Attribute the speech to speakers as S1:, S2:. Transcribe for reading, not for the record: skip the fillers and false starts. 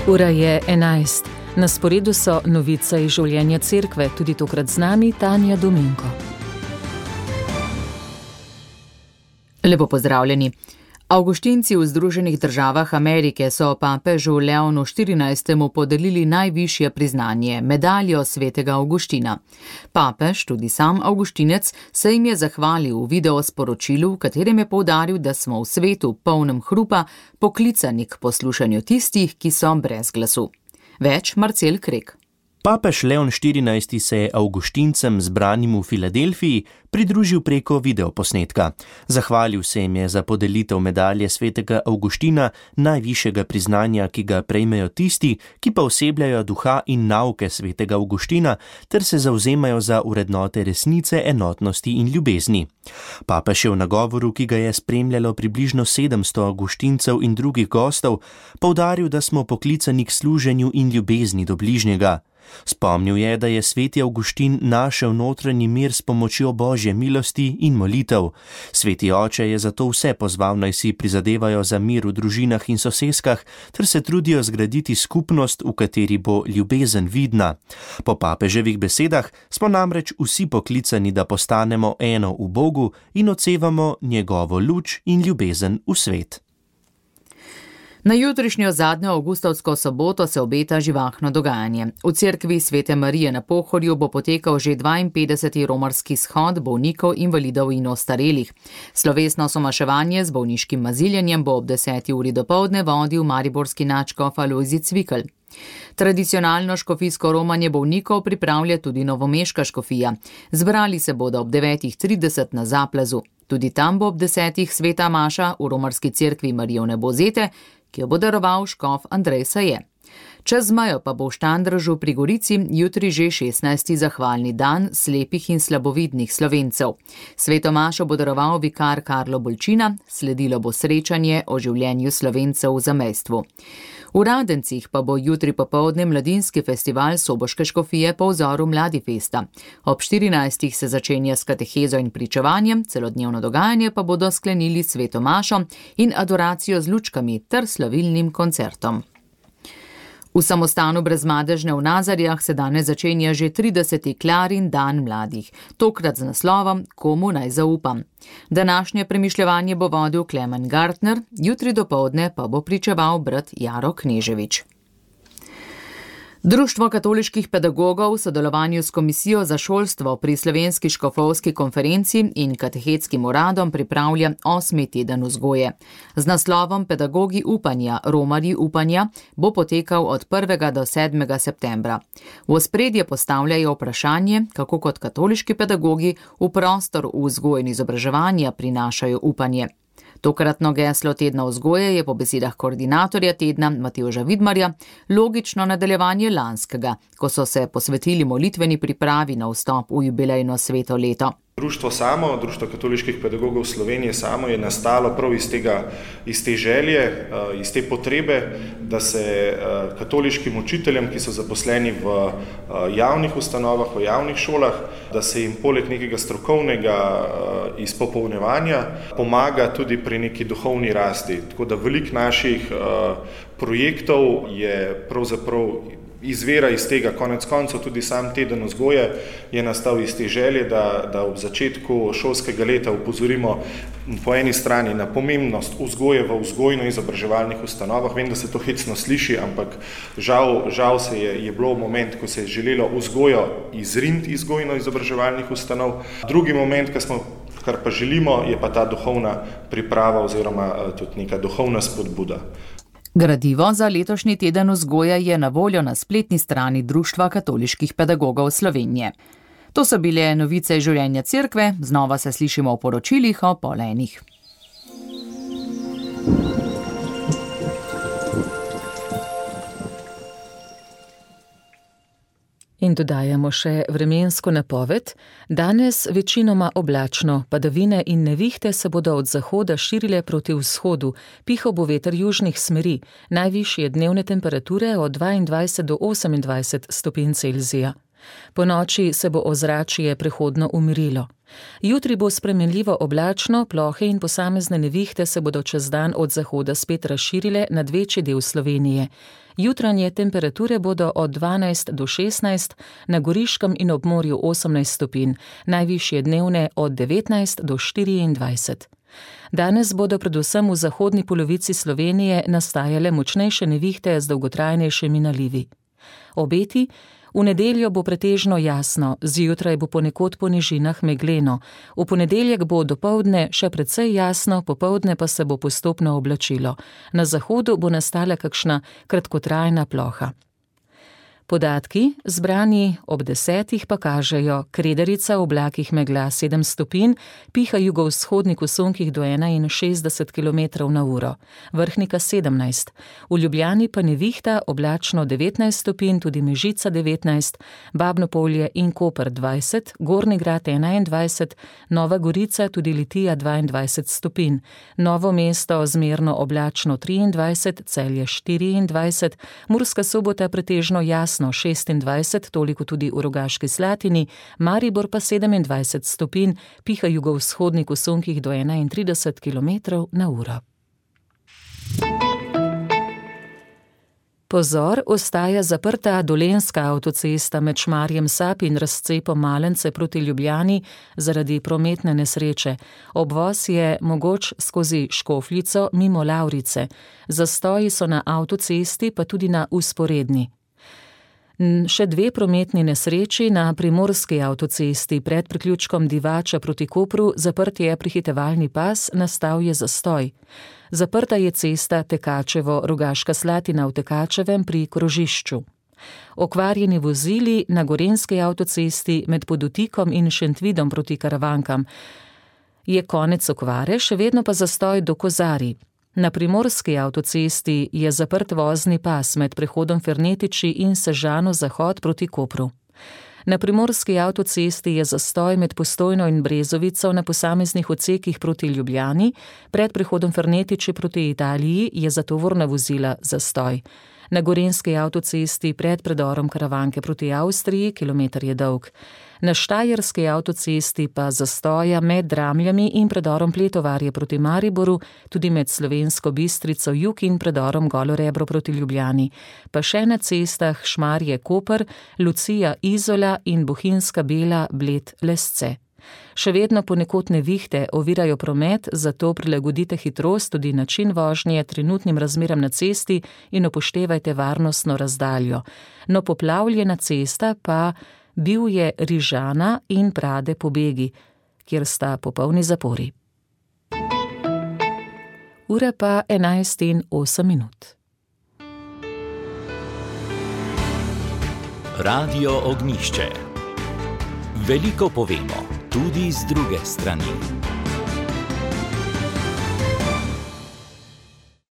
S1: Ura je 11. Na sporedu so novice iz življenja cerkve, tudi tokrat z nami Tanja Dominko.
S2: Lepo pozdravljeni. Avguštinci v Združenih državah Amerike so papežu Leonu XIV. Podelili najvišje priznanje, medaljo svetega Avguština. Papež, tudi sam Avguštinec, se jim je zahvalil v videosporočilu, v katerem je poudaril, da smo v svetu polnem hrupa poklicani k poslušanju tistih, ki so brez glasu. Več Marcel Krek.
S3: Papež Leon XIV. Se je Avguštincem zbranim v Filadelfiji pridružil preko videoposnetka. Zahvalil se jim je za podelitev medalje svetega Avguština, najvišjega priznanja, ki ga prejmejo tisti, ki pa osebljajo duha in nauke svetega Avguština, ter se zavzemajo za vrednote resnice, enotnosti in ljubezni. Papež je v nagovoru, ki ga je spremljalo približno 700 Avguštincev in drugih gostov, poudaril, da smo poklicani k služenju in ljubezni do bližnjega. Spomnil je, da je sveti Avguštin našel notranji mir s pomočjo Božje milosti in molitev. Sveti oče je zato vse pozval, naj si prizadevajo za mir v družinah in soseskah, ter se trudijo zgraditi skupnost, v kateri bo ljubezen vidna. Po papeževih besedah smo namreč vsi poklicani, da postanemo eno v Bogu in odsevamo njegovo luč in ljubezen v svet.
S2: Na jutrišnjo zadnjo avgustovsko soboto se obeta živahno dogajanje. V cerkvi Svete Marije na Pohorju bo potekal že 52. romarski shod bolnikov, invalidov in ostarelih. Slovesno somaševanje z bolniškim maziljenjem bo ob 10. uri dopoldne vodil mariborski nadškof Alojzij Cvikl. Tradicionalno škofijsko romanje bolnikov pripravlja tudi novomeška škofija. Zbrali se bodo ob 9.30 na Zaplazu. Tudi tam bo ob 10. sveta maša v romarski cerkvi Marijone Bozete, ki jo bo daroval škof Andrej Saje. Čez mejo pa bo v Štandržu pri Gorici jutri že 16. zahvalni dan slepih in slabovidnih Slovencev. Sveto mašo bo daroval vikar Karlo Bolčina, sledilo bo srečanje o življenju Slovencev v zamejstvu. V Radencih pa bo jutri popoldne mladinski festival Soboške škofije po vzoru Mladifesta. Ob 14. se začenja s katehezo in pričevanjem, celodnevno dogajanje pa bodo sklenili sveto mašo in adoracijo z lučkami ter slavilnim koncertom. V samostanu Brezmadežne v Nazarjah se danes začenja že 30. Klarin dan mladih, tokrat z naslovom Komu naj zaupam. Današnje premišljevanje bo vodil Klemen Gartner, jutri dopoldne pa bo pričeval brat Jaro Kneževič. Društvo katoliških pedagogov v sodelovanju s Komisijo za šolstvo pri Slovenski škofovski konferenci in katehetskim uradom pripravlja 8. teden vzgoje. Z naslovom Pedagogi upanja, romarji upanja bo potekal od 1. do 7. septembra. V ospredje postavljajo vprašanje, kako kot katoliški pedagogi v prostor vzgoje in izobraževanja prinašajo upanje. Tokratno geslo tedna vzgoje je po besedah koordinatorja tedna Matevža Vidmarja logično nadaljevanje lanskega, ko so se posvetili molitveni pripravi na vstop v jubilejno sveto leto.
S4: Društvo samo, Društvo katoliških pedagogov Slovenije samo je nastalo prav iz te želje, iz te potrebe, da se katoliškim učiteljem, ki so zaposleni v javnih ustanovah, v javnih šolah, da se jim poleg nekega strokovnega izpopolnjevanja pomaga tudi pri neki duhovni rasti. Tako da veliko naših projektov je pravzaprav izvira iz tega, konec koncev tudi sam teden vzgoje je nastal iz te želje, da ob začetku šolskega leta upozorimo po eni strani na pomembnost vzgoje v vzgojno-izobraževalnih ustanovah. Vem, da se to hecno sliši, ampak žal se je bilo moment, ko se je želelo vzgojo izriniti iz vzgojno-izobraževalnih ustanov. Drugi moment, kar pa želimo, je pa ta duhovna priprava oziroma tudi neka duhovna spodbuda.
S2: Gradivo za letošnji teden vzgoje je na voljo na spletni strani Društva katoliških pedagogov Slovenije. To so bile novice iz življenja cerkve, znova se slišimo v poročilih o 12:30.
S1: In dodajamo še vremensko napoved. Danes večinoma oblačno, padavine in nevihte se bodo od zahoda širile proti vzhodu, pihal bo veter južnih smeri, najvišje dnevne temperature od 22 do 28 stopinj Celzija. Po noči se bo ozračje prehodno umirilo. Jutri bo spremenljivo oblačno, plohe in posamezne nevihte se bodo čez dan od zahoda spet razširile nad večji del Slovenije. Jutranje temperature bodo od 12 do 16, na Goriškem in ob morju 18 stopinj, najvišje dnevne od 19 do 24. Danes bodo predvsem v zahodni polovici Slovenije nastajale močnejše nevihte z dolgotrajnejšimi nalivi. Obeti: v nedeljo bo pretežno jasno, zjutraj bo ponekod po nižinah megleno, v ponedeljek bo dopoldne še precej jasno, popoldne pa se bo postopno oblačilo. Na zahodu bo nastala kakšna kratkotrajna ploha. Podatki, zbrani ob 10, pa kažejo: Kredarica v oblakih megla 7 stopinj, piha jugovzhodnik v sunkih do 61 km/h, Vrhnika 17, v Ljubljani pa nevihta, oblačno 19 stopinj, tudi Mežica 19, Babno Polje in Koper 20, Gornji Grad 21, Nova Gorica, tudi Litija 22 stopinj, Novo mesto zmerno oblačno 23, Celje 24, Murska Sobota pretežno jasno 26, toliko tudi v Rogaški Slatini, Maribor pa 27 stopinj, piha jugovzhodnik v sunkih do 31 km/h. Pozor, ostaja zaprta Dolenjska avtocesta med Šmarjem Sap in razcepom Malence proti Ljubljani zaradi prometne nesreče. Obvoz je mogoč skozi Škofljico mimo Lavrice. Zastoji so na avtocesti pa tudi na vzporedni. Še 2 prometni nesreči na primorski avtocesti. Pred priključkom Divača proti Kopru zaprt je prehitevalni pas, nastal je zastoj. Zaprta je cesta Tekačevo-Rogaška Slatina v Tekačevem pri krožišču. Okvarjeni vozili na gorenjski avtocesti med Podutikom in Šentvidom proti Karavankam. Je konec okvare, še vedno pa zastoj do Kozarij. Na primorski avtocesti je zaprt vozni pas med prehodom Fernetiči in Sežano zahod proti Kopru. Na primorski avtocesti je zastoj med Postojno in Brezovico na posameznih odsekih proti Ljubljani, pred prehodom Fernetiči proti Italiji je za tovorna vozila zastoj. Na gorenjski avtocesti pred predorom Karavanke proti Avstriji, kilometer je dolg. Na štajerski avtocesti pa zastoja med Dramljami in predorom Pletovarje proti Mariboru, tudi med Slovensko Bistrico jug in predorom Golo Rebro proti Ljubljani, pa še na cestah Šmarje Koper, Lucija Izola in Bohinjska Bela Bled Lesce. Še vedno ponekod nevihte ovirajo promet, zato prilagodite hitrost, tudi način vožnje trenutnim razmeram na cesti in upoštevajte varnostno razdaljo. No, poplavljena cesta pa bil je Rižana in Prade pobegi, kjer sta popolni zapori. Ura pa 11:08.
S5: Radio Ognjišče. Veliko povemo, tudi z druge strani.